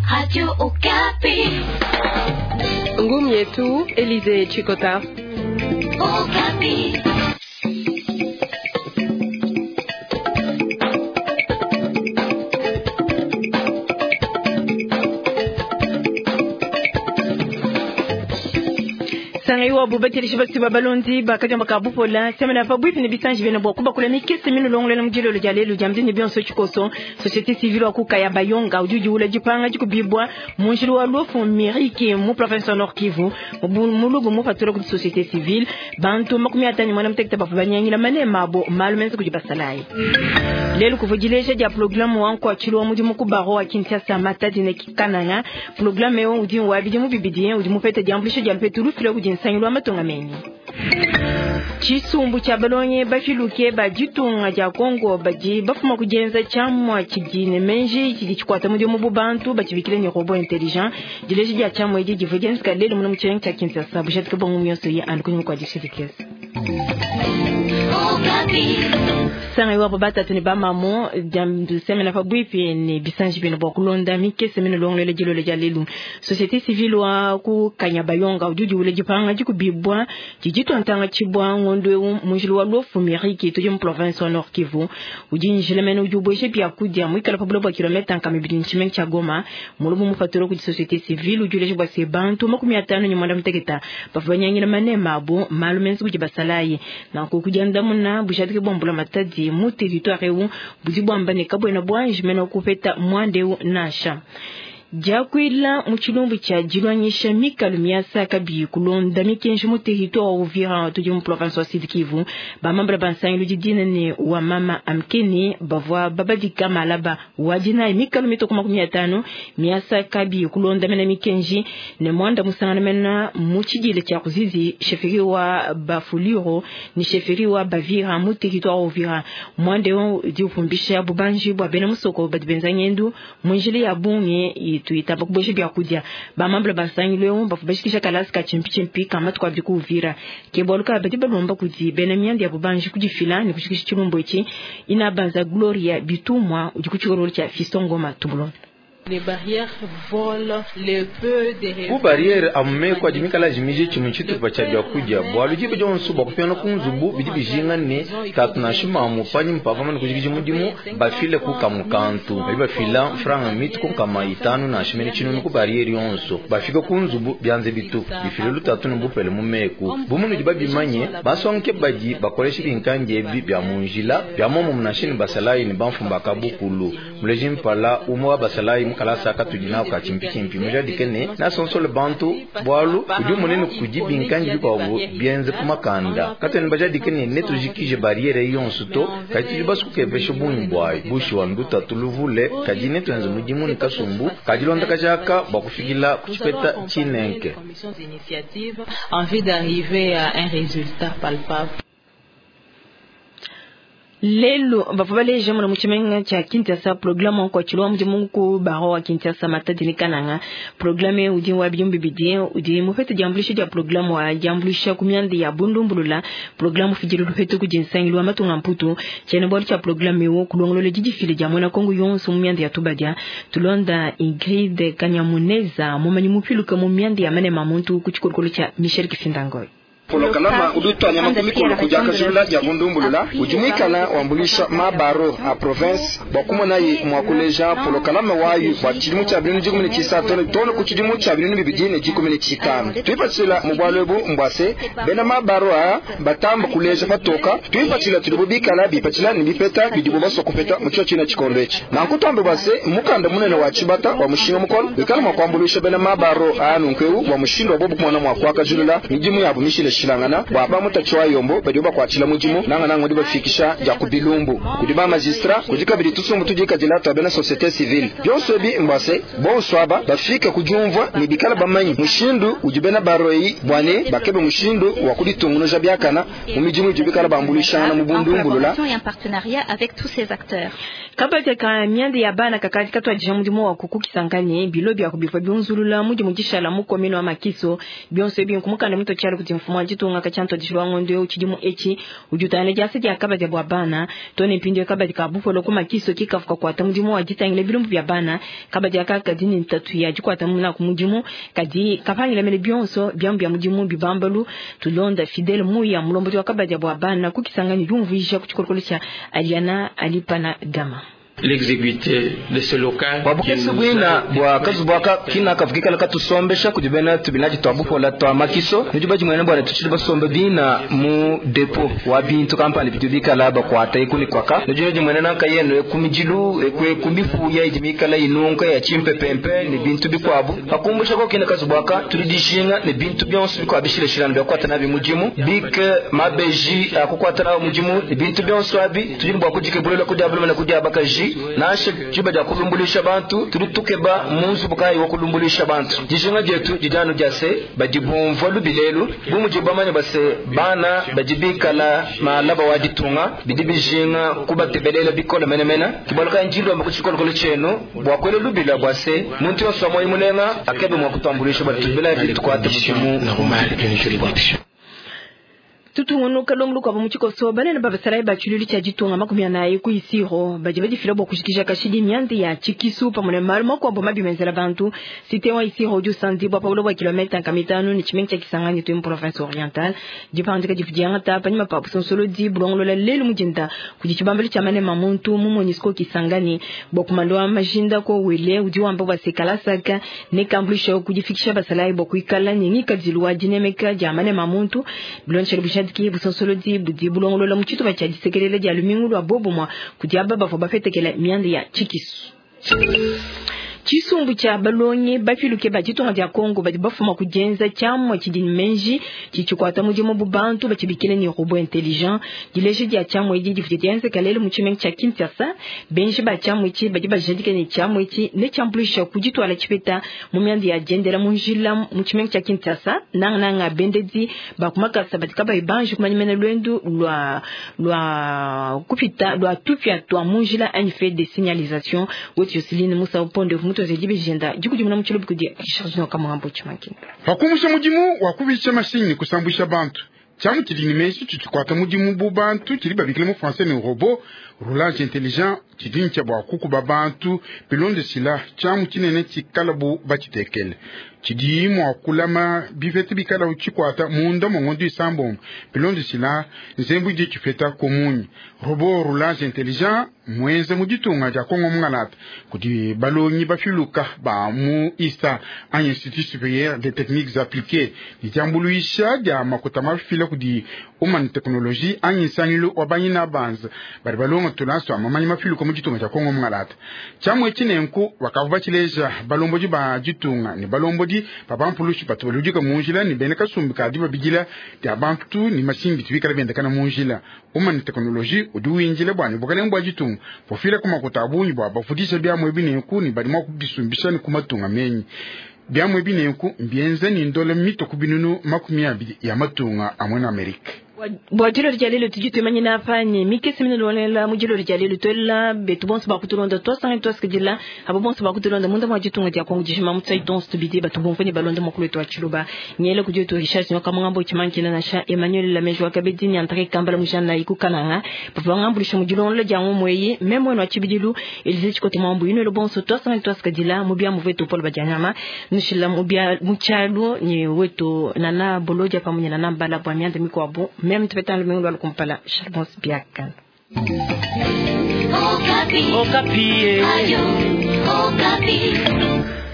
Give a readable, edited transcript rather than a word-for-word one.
Radio Okapi. Ngumu yetu Elize Chikota. Okapi. Sangaiwa bubatelishi basi balonzi bakajamba ka bupola semena pa bwipi ne bisanji bena bwa kubakula mikese mino longolele mujilolo dia lelu dia mdini bionso chikoso société civile wa kukaya bayonga ujuji ula jipanga jikubibwa munjili wa lufu miriki mu province wa Nord Kivu mulubu mu patula ku société civile bantu 50 mwana mtekete bafu banyangila mane mabo malu menzi kujibasalayi lelu kuvujileja dia programu wanko achilwa mudimu ku baro wa Kinshasa Matadi ne Kananga programu ewo udi wa bidimu bibidi udi mupete diambulisho dia mpetu lufile kudi nsangilu wa matunga menyi tshisumbu tshia balongi bafiluke ba ditunga dia Kongo badi bafuma kudienza tshiamua tshidi ne menji tshidi tshikwata mudimu bu bantu batshibikile ne robot intelligent dileji dia tshiamua edi divua dienzeka lelu muna mu tshilenga tshia Kinshasa bujatika bongo mionso ye andu kunyima kua dishidikesa sanga iwapo batatu ne bamamo semena pabwipi ne bisanji bino bua kulonda mikese mino longolele dilolo dia lelu société civile wa ku Kanyabayonga udi udiwula dipanga dikubibwa didi tuantanga tshibwa ngondo eu munjili wa luofu miriki tudi mu province wa Nord Kivu udi njila mene udi ubweshe byakudia muikala pa buloba bua kilomita nkama ibidi ntshimenga tshia Goma mulubu mufatula kudi société civile udi uleja bua se bantu 58 bavua banyangila manema abo malu menzi kudi basalayi nanku kudiandamuna bujadiki bua mbula matadi mu territoire eu budi buamba ne kabwena bwanji mene kupeta mwanda eu nansha diakuila mu tshilumbu tshia dilwanyisha mikalu miasa kabi kulonda mikenji mu territoire wa Uvira tudi mu province wa Sud Kivu bamambala bansangilu didina ne wa mama amkeni bavua babadika malaba wadinayi mikalu mitoko 50 miasa kabi kulonda mena mikenji ne mwanda musangana mena mu tshidile tshia kuzizi sheferi wa Bafuliro ni sheferi wa Bavira mu territoire wa Uvira mwanda eu di upumbisha bubanji bua bena musoko badi benza ngendu munjili ya bungi tuitamba kubwesha byakudia bamambula basangilu eu bafu bashikisha kalasi ka chimpichimpi kama tukabidi kuuvira ke bwaluka badi balomba kudi bena mianda ya bubanji kudifila ne kushikisha tshilumbu etshi ina banza Gloria Bitumwa udi ku tshikololo tshia Fiston Ngoma tubulonda. Ku barriere amumeko adi mikala jimije tshimue tshitupa tshia biakudia bualu diba dionso bua kupiana ku nzubu bidi bijinga ne tatu nansha mamu panyima pa vamane kujikija mudimu bafile ku kamue kantu badi bafila mfranga mitu ku 500 nansha mene tshinunu ku barriere yonso bafika ku nzubu bianze bitu bifile lutatu ne bupele mu meku bu munudi babimanye basonke badi bakolesha binkangi ebi bia mu njila bia momumu nansha ne basalayi ne bamfumu ba kabukulu muleji mpala umue wa basalayi mukalasa katudi nako ka chimpichimpi mujadike ne nasonsole bantu bualu udi umunene kudi binkangi bikuabu bienze ku makanda katwene bajadike ne netujikije barriere yonso to kadi tudi basukukepesha bungi buayi bushiwa ndutatu luvule kadi netuenze mudimu ne kasumbu kadilonda kajaka bua kufikila ku tshipeta tshinenke. En vue d'arriver à un résultat palpable. Lelu bavua baleja muna mu tshimenga tshia Kinshasa programme wa nkuatshilu wa mudimu ku baro wa Kinshasa Matadi ne Kananga programme udi wa bidimu bibidi udi mupete diambulisha dia programme wa diambulisha ku mianda ya bundumbulula programme ufidile lupetu kudi nsangilu wa matunga mputu tshiena bualu tshia programme eu kulongolola didifile dia muena Kongo yonso mu mianda ya tubadia tulonda Ingrid Kanyamuneza mumanyi mupiluka mu mianda ya manema muntu ku tshikolokolo tshia Michel Kifindangoy. Polokalama udi utwanyama ku mikolo kudi akajulula dia bundumbulula udi muikala wambulisha mabaro a province bua kumonaye mua kuleja polokalama wayu bua tshidimu tshia 2013 tone ku tshidimu tshia 2015 tuipatshila mu bualu ebu mbua se bena mabaro a batamba kuleja patoka tuipatshila tudibu bikala bipatshila ne bipeta bidibu basua kupeta mu tshio tshina tshikondo etshi nanku tuambe bua se mukanda munene wa tshibata wa mushinga mukolo wikala mua kuambuluisha bena mabaro a nunku eu bua mushindu wa bobu kumona mua kuakajulula midimu yabu mishile shilangana bua bamutachi wa yombo badi bakwatshila mudimu nanga nanga udi bafikisha dia ku bilumbu kudi ba magistrat kudi kabidi tusumbu tudikadila tua bena société civile bionso ebi mbua se bonso aba bafika kudiumvua ne bikala bamanyi mushindu udi bena baroyi bua ne bakebe mushindu wa kuditungunuja biakana mu midimu idi bikala bambuluishangana mu bundumbulula. Kabadi ka mianda ya bana kakadi katwadija mudimu wa kukukisangane bilo bya kubifwa byunzulula mudimu dishala mu komino wa makiso bionso ebi nkumukanda muto tshialo kudi mfumu wa ditunga katshia ntuadijilu wa ngondo eu tshidimu etshi udi utangila diasa dia kabadi bua bana to ne mpindieu kabadi ka bupolo ku makiso ki kavua kakuata mudimu wa ditangila bilumbu bia bana. Kabadi aka kadi ne ntatu ya dikuata naku mudimu kadi kapangila mene bionso biamu bia mudimu bibambalu. Tulonda Fidel Muya, mulombodi wa kabadi bua bana ku Kisangani, diumvuija ku tshikolokolo tshia Aliana Alipana Gama. L'exiguïté de ce local. Bua bukese buina bua kazubu aka kina kavukikala katusombesha kudi bena tubinaji tua bupola tua makiso nudi badimuene bua ne tutshidi basombe bina mu depo wa bintu kampani bitu bikala bakuata eku ne kuaka nudi nudimuene nanka yenu eku midilu eku eku mifuya idi mikala inunka ya tshimpepempe ne bintu bikuabu pakumbusha ko kina kazubu aka tudi dijinga ne bintu bionso bikuabu bishilashilana bia kuata nabi mudimu bike mabeji akukuata nawo mudimu ne bintu bionso abi tudi ne bua kudikebulela kudiabuluma ne kudiabakaji nansha diba dia kulumbulisha bantu tudi tukeba mu nzubu kayi wa kulumbulisha bantu. Dijinga dietu didi anu dia se badi bumvua lubilelu bu mudi bamanye base bana badi bikala malaba wa ditunga bidi bijinga kubatebelela bikole menemene kibaluka njilomba ku tshikolokolo tshienu bua kuela lubila bua se muntu yonso wa moyo mulenga akebe mua kutuambulisha bua tubila bitukuate mudimu. Tutungunuka lumbu lukuabu mu tshikoso banene ba basalayi ba tshilulu tshia ditunga 40 ku Isiro badi badifila bua kujikija kashidi mianda ya tshikisu pamue ne malu makuabu mabi menzela bantu. Cité wa Isiro udi usandibua pa buloba bua kilomètre 50 ne tshimenga tshia Kisangani tu mu province orientale. Dipandika divu diangata panyima pa busonsolodi bulongolola lelu mu dinda kudi tshibambalu tshia manema muntu mu MONUSCO Kisangani bua kumandua majinda ko wele udi wamba bua se kalasaka ne kambuluisha kudifikisha basalayi bua kuikala ne ngikadilu wa dinemeka dia manema muntu bilonshele bushadiki busonsolodi budi bulongolola mu tshitupa tshia disekelela dia lumingu lua bobomwa kudi aba bavua bapetekela mianda ya tshikisu. Tshisumbu tshia balongi bapiluke ba ditunga dia Kongo badi bafuma kudienza tshiamua tshidi ne meji tshitshikwata mudimu bu bantu batshibikile ne robot intelligent. Dileja dia tshiamua edi divua dienzeka lelu mu tshimenga tshia Kinshasa. Benji ba tshiamua etshi badi bajadika ne tshiamua etshi ne tshiambuluisha ku dituala tshipeta mu mianda ya diendela mu njila mu tshimenga tshia Kinshasa. Nangananga bendedi ba ku makasa badi kabayi banji kumanya mene luendu lua lua kupita lua tupia tua mu njila anyi fait de signalisation. Wetu Joseline Musa Uponde pakumusha mudimu wa kubisha mashinyi kusambwisha bantu tshiamu tshidi ne meji tshitshikwata mudimu bu bantu tshidi babikile mu français ne robot roulage intelligent tshidi ntshia bua kukuba bantu bilondeshila tshiamu tshinene tshikala bu batshitekele tshidi mua kulama bipeta bikala tshikwata munda mua ngondo isambombo bilondeshila nzembu idi tshipeta kumunyi. Robot roulage intelligent mwenze mu ditunga dia Kongo mungalata kudi balongi bafiluka ba mu ISTA anyi Institut Supérieur des Techniques Appliquées ne diambuluisha dia makuta mafila kudi Human Technologie anyi nsangilu wa banyina banza badi balonga tulanso amamanyi mafiluka mu ditunga dia Kongo mungalata. Tshiamue tshinenku bakavua batshileja balombodi ba ditunga ne balombodi babampulushi batu baludika mu njila ne bena kasumbi kadi babidila dia bantu ne masimbi tubikala bendekana mu njila. Human Technologie udi winjila bua ne bukalenge bua ditunga bufila ku makuta a bungi bua bafudisha biamue binenku ne badi mua kubisumbisha ne ku matunga menyi. Biamue binenku mbienza ne ndola mito ku binunu 20 ya matunga a mwena Amerika. Bua dilolo dia lelu tudi tuimanyina apa ne mikese minene mu dilolo dia lelu tuela betu bonso bakutulonda twasanga twasikidila abo bonso bakutulonda munda mwa ditunga dia Kongo dijima mutsai donso tubidi batu bomvene balonda mukulu wetu wa tshiluba nyele kudi wetu Richard Nyoka Mungambo tshimankina nasha Emmanuel Lamejo wa kabedi ni Andre Kambala mujana ikukananga bavua ngambulisha mu dilonda dia ngomweyi memwe no tshibidilu Elize Tshikote Mwambu ino bonso twasanga twasikidila mu bia muvetu Paul Badianyama nushila mu bia mutshalu ni wetu nana bolodia pamunye nana mbala bwa mianda mikwabo meme tupetana lumingu lwa lukumpala Charbon Biakan. Okapi. Okapi. Ayo, Okapi.